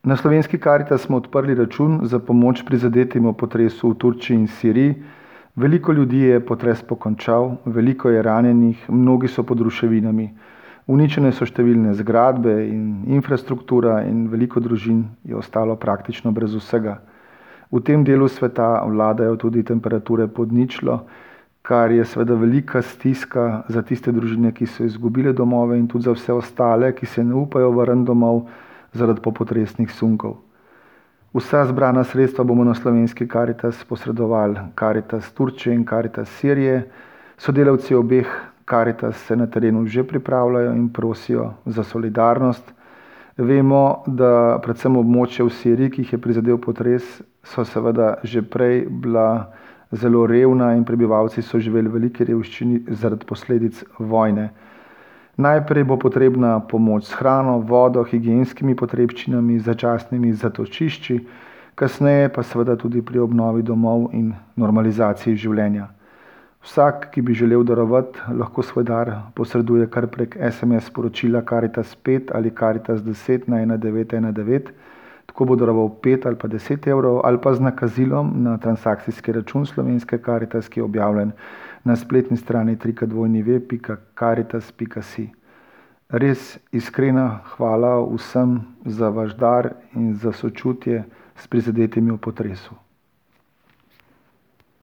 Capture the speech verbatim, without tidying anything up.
Na Slovenski Karitas smo odprli račun za pomoč prizadetim v potresu v Turčiji in Siriji. Veliko ljudi je potres pokončal, veliko je ranjenih, mnogi so pod ruševinami. Uničene so številne zgradbe in infrastruktura in veliko družin je ostalo praktično brez vsega. V tem delu sveta vladajo tudi temperature pod ničlo, kar je seveda velika stiska za tiste družine, ki so izgubile domove in tudi za vse ostale, ki se ne upajo vrniti domov zaradi popotresnih sunkov. Vsa zbrana sredstva bomo na Slovenski Karitas posredovali Karitas Turčije in Karitas Sirije. Sodelavci obeh Karitas se na terenu že pripravljajo in prosijo za solidarnost. Vemo, da predvsem območje v Siriji, ki jih je prizadel potres, so seveda že prej bila zelo revna in prebivalci so živeli v veliki revščini zaradi posledic vojne. Najprej bo potrebna pomoč s hrano, vodo, higienskimi potrebščinami, začasnimi zatočišči, kasneje pa seveda tudi pri obnovi domov in normalizaciji življenja. Vsak, ki bi želel darovati, lahko svoj dar posreduje kar prek es em es sporočila Karitas pet ali Karitas deset na ena devet ena devet. Tako bo daroval pet ali pa deset evrov ali pa z nakazilom na transakcijski račun Slovenske Karitas, ki je objavljen na spletni strani w w w pika karitas pika si. Res iskrena hvala vsem za vaš dar in za sočutje s prizadetimi v potresu.